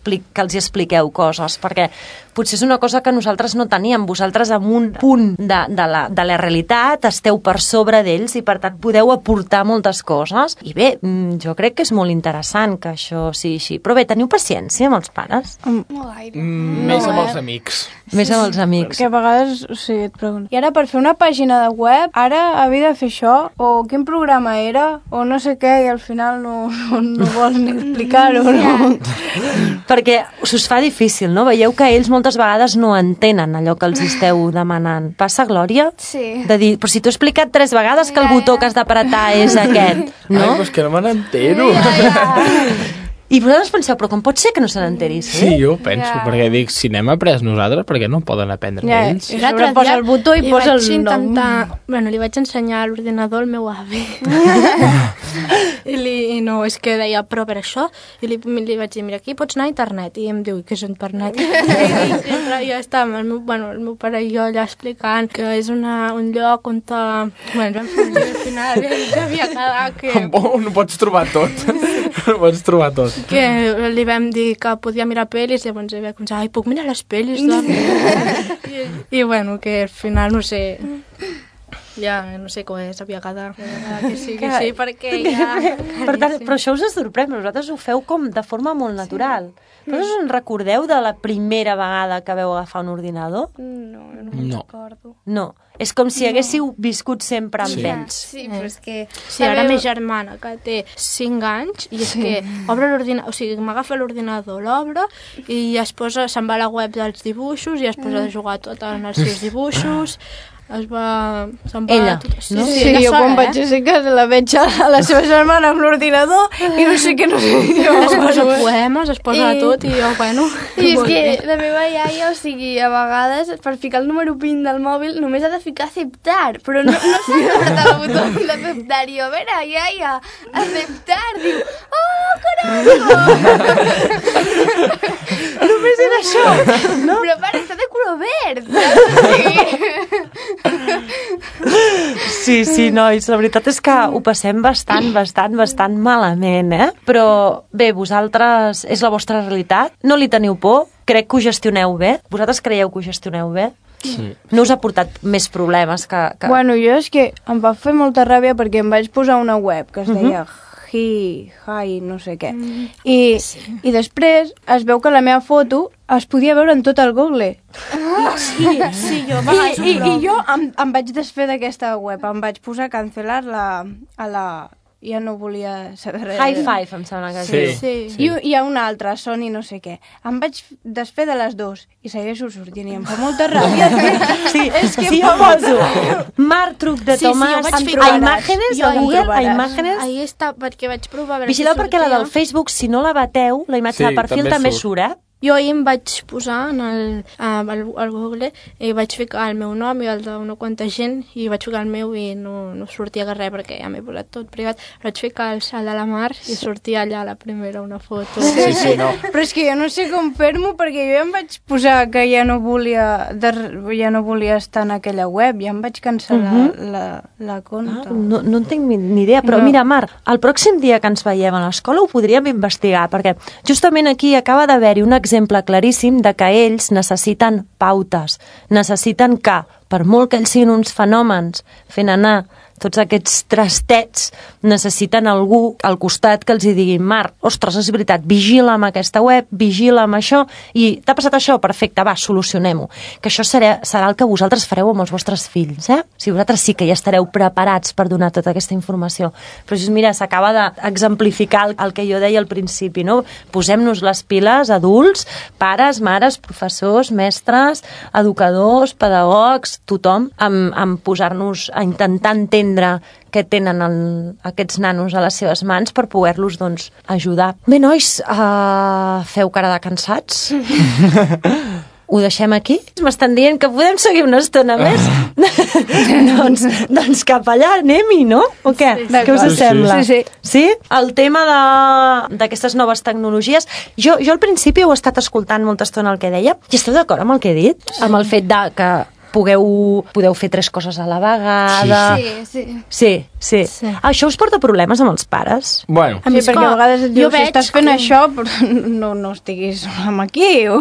que els expliqueu coses, perquè potser és una cosa que nosaltres no teníem. Vosaltres en un punt de la realitat esteu per sobre d'ells i per tant podeu aportar moltes coses. I bé, jo crec que és molt interessant que això sigui així. Però bé, teniu paciència amb els pares? No gaire. Més amb els amics. Més amb els amics. Que a vegades, et pregunto, i ara per fer una pàgina de web, ara havia de fer això, o quin programa era, o no sé què, i al final no vols ni explicar-ho, no? Perquè us fa difícil, no? Veieu que ells moltes vegades no entenen allò que els esteu demanant. Passa, Glòria? Sí. De dir, però si t'ho he explicat 3 vegades que el botó que has d'apretar és aquest, no? Ai, però és que no me n'entero. I vosaltres penseu, però com pot ser que no se n'enteri? Sí, jo penso, perquè dic, si n'hem après nosaltres, per què no poden aprendre ells? I sobre posa el botó i posa el nom. Bueno, li vaig ensenyar a l'ordinador al meu avi. I no, és que deia, però per això, i li vaig dir, mira, aquí pots anar a internet, i em diu, què és internet? I sempre ja està, el meu pare i jo allà explicant que és un lloc on bueno, al final havia quedat que... No pots trobar tot. No pots trobar tot. Que li vam dir que podia mirar pel·lis i llavors va pensar, ai, puc mirar les pel·lis? I bueno, que al final no sé, ja no sé com s'havia quedat que sí, perquè ja... Per tant, però això us sorprèn, vosaltres ho feu com de forma molt natural. Però us en recordeu de la primera vegada que vau agafar un ordinador? No me'n recordo. No, és com si haguéssiu viscut sempre amb ells. Sí, però és que... Sí, ara ma germana, que té 5 anys, i és que obre l'ordinador, o sigui, m'agafa l'ordinador, l'obre, i se'n va a la web dels dibuixos, i es posa a jugar tot en els seus dibuixos, se'n va... Ella, tot, no? Sí, jo quan vaig a ser casa la veig a la seva germana amb l'ordinador i no sé què, no sé jo. Es posa poemes, es posa tot i jo, bueno... I és que la meva iaia, o sigui, a vegades per ficar el número PIN del mòbil només ha de ficar aceptar, però no s'ha apretat el botó d'acceptar. I jo, a veure, iaia, aceptar, diu, oh, caram! Només era això, no? Però pare, està de color verd, saps? Sí, nois, la veritat és que ho passem bastant malament, eh? Però bé, vosaltres, és la vostra realitat, no li teniu por, crec que ho gestioneu bé. Vosaltres creieu que ho gestioneu bé? Sí. No us ha portat més problemes que... Bueno, jo és que em va fer molta ràbia perquè em vaig posar una web que es deia Hi, no sé què. I després es veu que la meva foto es podia veure en tot el Google. Sí, jo I jo em vaig desfer d'aquesta web, em vaig posar a cancel·lar-la a la... Ja no volia saber res. High Five, em sembla que sí. I hi ha una altra, Sony no sé què. Em vaig desfer de les dues i segueixo sortint i em fa molta ràbia. Sí, és que jo poso Marc Truc de Tomàs a Imàgenes, a Google, a Imàgenes. Ahí està, perquè vaig provar... Vigileu perquè la del Facebook, si no la bateu, la imatge del perfil també surt, eh? Jo ahir em vaig posar al Google i vaig ficar el meu nom i el d'una quanta gent i vaig ficar el meu i no sortia res perquè ja m'he posat tot privat. Però vaig ficar el de la Mar i sortia allà la primera una foto. Sí, no. Però és que jo no sé com fer-m'ho perquè jo ja em vaig posar que ja no volia estar en aquella web, ja em vaig cancel·lar la compte. No en tinc ni idea, però mira, Mar, el pròxim dia que ens veiem a l'escola ho podríem investigar, perquè justament aquí acaba d'haver-hi un exemple claríssim de que ells necessiten pautes, necessiten que, per molt que ells siguin uns fenòmens fent anar tots aquests trastets, necessiten algú al costat que els hi digui, Marc, ostres, és veritat, vigila amb aquesta web, vigila amb això, i t'ha passat això? Perfecte, va, solucionem-ho. Que això serà el que vosaltres fareu amb els vostres fills, eh? Si vosaltres sí que ja estareu preparats per donar tota aquesta informació. Però just, mira, s'acaba d'exemplificar el que jo deia al principi, no? Posem-nos les piles, adults, pares, mares, professors, mestres, educadors, pedagogs, tothom, amb posar-nos a intentar entendre què tenen aquests nanos a les seves mans per poder-los, doncs, ajudar. Bé, nois, feu cara de cansats? Ho deixem aquí? M'estan dient que podem seguir una estona més? doncs cap allà anem-hi, no? O què? Què us sembla? Sí? El tema d'aquestes noves tecnologies, jo al principi heu estat escoltant molta estona el que deia, i esteu d'acord amb el que he dit? Amb el fet que podeu fer 3 coses a la vegada. Sí. Sí. Això us porta problemes amb els pares? Bueno. Sí, perquè a vegades et dius, si estàs fent això, no estiguis amb aquí, o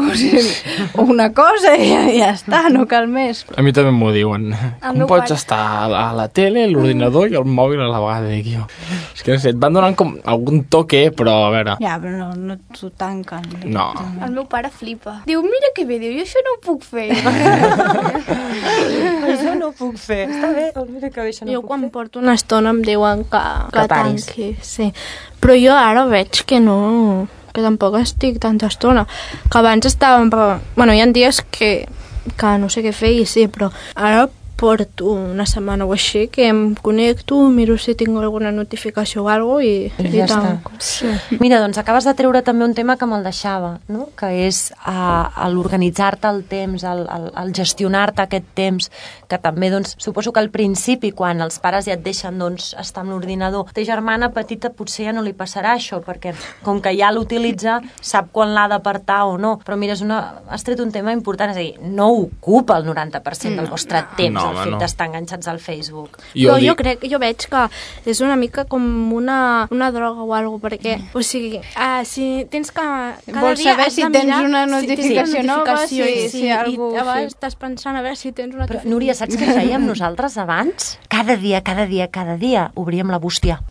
una cosa i ja està, no cal més. A mi també m'ho diuen. Com pots estar a la tele, l'ordinador i el mòbil a la vegada? Dic jo. És que no sé, et van donant com algun toque, però a veure... Ja, però no t'ho tanquen. No. El meu pare flipa. Diu, mira que bé, diu, jo això no ho puc fer. Això no ho puc fer. Està bé, mira que bé, això no ho puc fer. Jo quan porto una estona em diuen que tanqui, sí. Però jo ara veig que no, que tampoc estic tanta estona. Que abans estàvem... Bueno, hi ha dies que no sé què fer i sí, però ara porto una setmana o així que em connecto, miro si tinc alguna notificació o alguna cosa i ja tanco. Sí. Mira, doncs acabes de treure també un tema que me'l deixava, no? Que és l'organitzar-te el temps, el gestionar-te aquest temps, que també, doncs, suposo que al principi, quan els pares ja et deixen, doncs, estar amb l'ordinador, ta germana petita potser ja no li passarà això, perquè com que ja l'utilitza, sap quan l'ha d'apartar o no. Però mira, has tret un tema important, és a dir, no ocupa el 90% del vostre temps, el fet d'estar enganxats al Facebook. Però jo veig que és una mica com una droga o alguna cosa, perquè, o sigui, si tens que... Vols saber si tens una notificació nova, si algú... I a vegades estàs pensant a veure si tens una notificació. Però, Núria, saps què fèiem nosaltres abans? Cada dia obríem la bústia.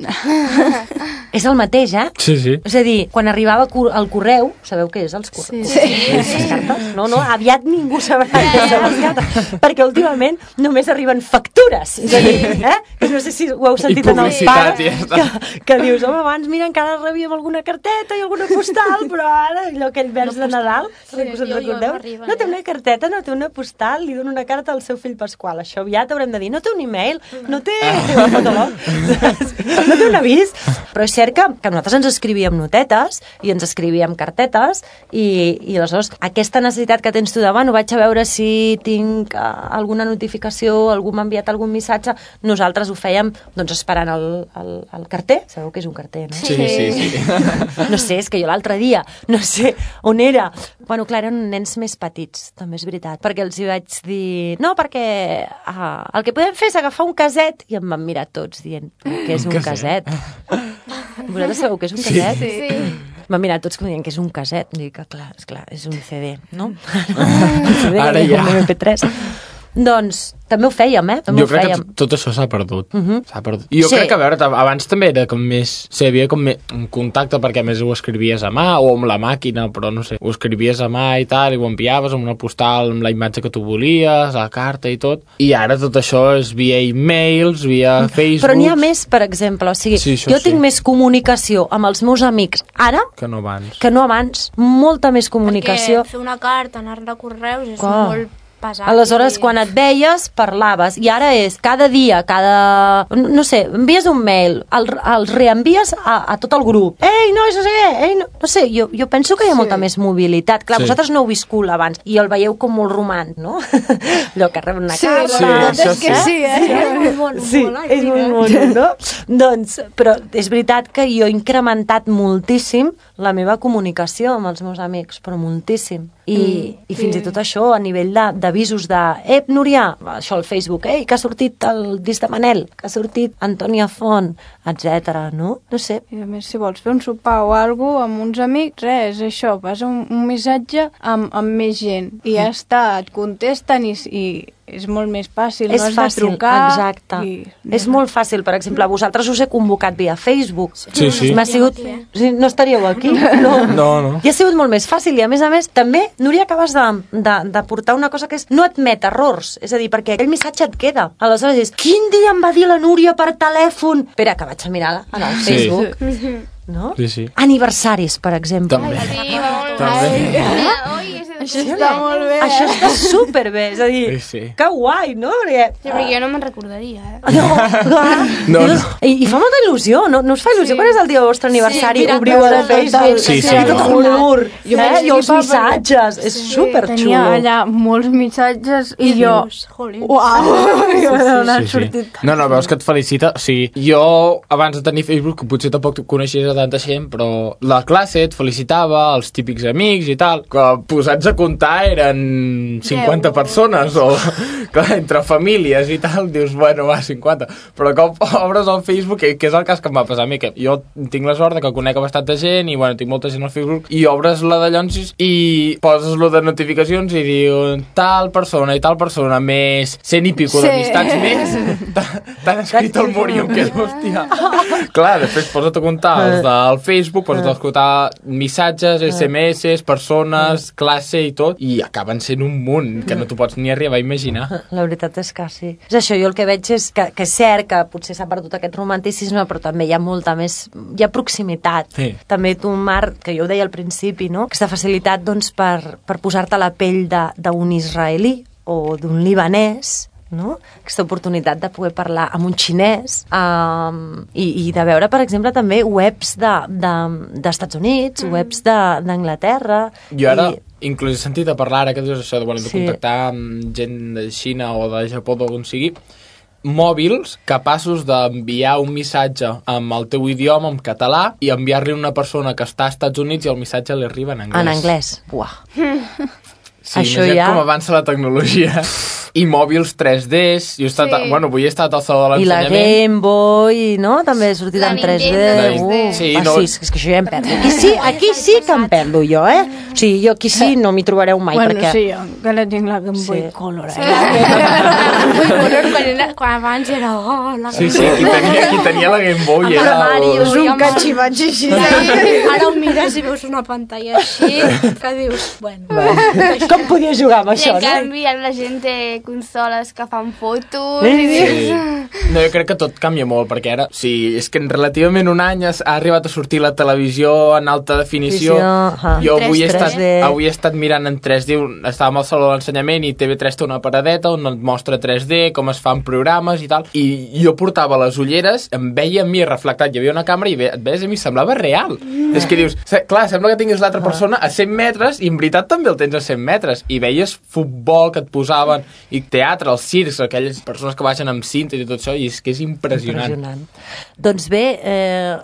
És el mateix, eh? Sí. És a dir, quan arribava el correu, sabeu què és els correus? Les cartes? No, aviat ningú sabrà què són les cartes, perquè últimament només arriben factures. És a dir, no sé si ho heu sentit en els pares, que dius, home, abans mira, encara rebíem alguna carteta i alguna postal, però ara allò aquell vers de Nadal, us en recordeu? No té una carteta, no té una postal, li dono una carta al seu fill Pasqual. Això aviat haurem de dir, no té un e-mail, no té un avís. Però és cert que nosaltres ens escrivíem notetes i ens escrivíem cartetes i aleshores aquesta necessitat que tens tu de, bueno, vaig a veure si tinc alguna notificació, algú m'ha enviat algun missatge, nosaltres ho fèiem doncs esperant el carter. Sabeu que és un carter, no? Sí. No sé, és que jo l'altre dia, no sé on era. Bueno, clar, eren nens més petits, també és veritat, perquè els hi vaig dir, no, perquè el que podem fer és agafar un caset, i em van mirar tots dient, què és un caset? Vosaltres sabeu què és un caset? Sí. M'han mirat tots com dient que és un caset. Dic que clar, és un CD, no? Ara ja. Un MP3. Doncs també ho fèiem, Jo crec que tot això s'ha perdut. S'ha perdut. I jo crec que, a veure, abans també era com més... hi havia com més un contacte, perquè a més ho escrivies a mà o amb la màquina, però no sé, ho escrivies a mà i tal, i ho enviaves amb una postal, amb la imatge que tu volies, la carta i tot. I ara tot això és via e-mails, via Facebook... Però n'hi ha més, per exemple. O sigui, jo tinc més comunicació amb els meus amics ara que no abans. Molta més comunicació. Perquè fer una carta, anar de correus, és molt pesat. Aleshores, quan et veies, parlaves. I ara és cada dia, no sé, envies un mail, els reenvies a tot el grup. Ei, no sé què, no sé, jo penso que hi ha molta més mobilitat. Clar, vosaltres no heu viscut abans i el veieu com molt romàntic, no? Allò que reben una carta. Sí, és molt mono, no? Doncs, però és veritat que jo he incrementat moltíssim la meva comunicació amb els meus amics, però moltíssim. I fins i tot això a nivell d'avisos Núria, això al Facebook, que ha sortit el disc de Manel, que ha sortit Antònia Font, etc. no? No sé. I a més, si vols fer un sopar o alguna cosa amb uns amics, res, això, vas un missatge amb més gent i ja està, et contesten i és molt més fàcil, no has de trucar. Exacte. És molt fàcil. Per exemple, vosaltres us he convocat via Facebook. Sí. M'ha sigut... No estaríeu aquí? No. I ha sigut molt més fàcil. I a més, també, Núria, acabes de portar una cosa que és no admet errors. És a dir, perquè aquell missatge et queda. Aleshores és, quin dia em va dir la Núria per telèfon? Espera, que vaig a mirar en el Facebook. No? Sí. Aniversaris, per exemple. També. Això està molt bé. Això està superbé, és a dir, que guai, no? Perquè jo no me'n recordaria, No. I fa molta il·lusió, no us fa il·lusió? Quan és el dia del vostre aniversari? Obriu el Facebook, sí. tot color, i els missatges, és superxulo. Tenia allà molts missatges i jo... Uau! No, veus que et felicita. O sigui, jo, abans de tenir Facebook, potser tampoc coneixies a tanta gent, però la classe et felicitava, els típics amics i tal, que posats a comptar eren 50 persones, o clar, entre famílies i tal, dius, bueno, va, 50. Però com obres al Facebook, que és el cas que em va passar a mi, que jo tinc la sort que conec bastanta gent i, bueno, tinc molta gent al Facebook, i obres la de Llonsis i poses lo de notificacions i diu tal persona i tal persona, més 100 i pico d'amistats més, t'han escrit al mur i em quedo, hòstia. Clar, després posa't a comptar els del Facebook, posa't a escoltar missatges, SMS, persones, classe i tot, i acaben sent un munt que no t'ho pots ni arribar a imaginar. La veritat és que sí. És això, jo el que veig és que és cert que potser s'ha perdut aquest romanticisme, però també hi ha molta més... Hi ha proximitat. Sí. També tu, Marc, que jo ho deia al principi, no? Aquesta facilitat doncs, per posar-te a la pell d'un israelí o d'un libanès, no? Aquesta oportunitat de poder parlar amb un xinès i de veure, per exemple, també webs d'Estats Units, webs d'Anglaterra. Jo ara inclús he sentit a parlar, ara que dius això de contactar amb gent de Xina o de Japó, d'on sigui, mòbils capaços d'enviar un missatge amb el teu idioma, en català, i enviar-li a una persona que està als Estats Units i el missatge li arriba en anglès. En anglès, uah. Sí, això ja... com avança la tecnologia. I mòbils 3Ds. Jo he estat, bueno, avui he estat al Saló de l'Ensenyament. I la Game Boy, no? També ha sortit en 3D. Sí, no... sí, és que això ja em perdo. Aquí sí que em perdo jo, eh? O sigui, jo aquí sí no m'hi trobareu mai, bueno, perquè... sí, jo que la tinc la Game Boy Color. Quan abans era... Sí, qui tenia la Game Boy era... És un catxivatge així. Ara ho mires i veus una pantalla així, que dius, bueno... Com podia jugar amb això, no? I en canvi la gent té consoles que fan fotos... Sí. No, jo crec que tot canvia molt, perquè ara... Sí, és que en relativament un any ha arribat a sortir la televisió en alta definició. Jo avui he estat mirant en 3D, estàvem al Saló de l'Ensenyament i TV3 té una paradeta on et mostra 3D, com es fan programes i tal, i jo portava les ulleres, em veia a mi reflectat, hi havia una càmera i et veies a mi, semblava real. És que dius, clar, sembla que tinguis l'altra persona a 100 metres i en veritat també el tens a 100 metres, i veies futbol que et posaven, i teatre, els circs, aquelles persones que baixen amb cinta i tot això, i és que és impressionant. Doncs bé,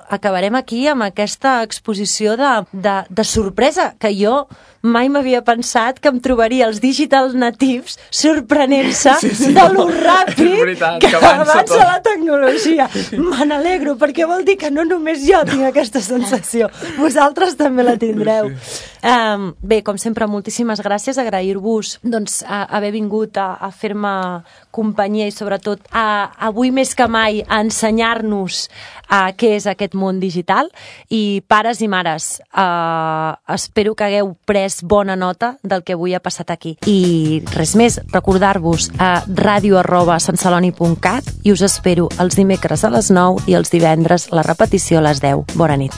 acabarem aquí amb aquesta exposició de sorpresa, que jo mai m'havia pensat que em trobaria els digital natives sorprenent-se de lo ràpid que avança la tecnologia. Me n'alegro, perquè vol dir que no només jo tinc aquesta sensació, vosaltres també la tindreu. Bé, com sempre, moltíssimes gràcies, agrair-vos doncs, haver vingut a fer-me companyia i sobretot avui més que mai a ensenyar-nos què és aquest món digital, i pares i mares, espero que hagueu pres bona nota del que avui ha passat aquí. I res més, recordar-vos a radio@santceloni.cat, i us espero els dimecres a les 9 i els divendres la repetició a les 10. Bona nit.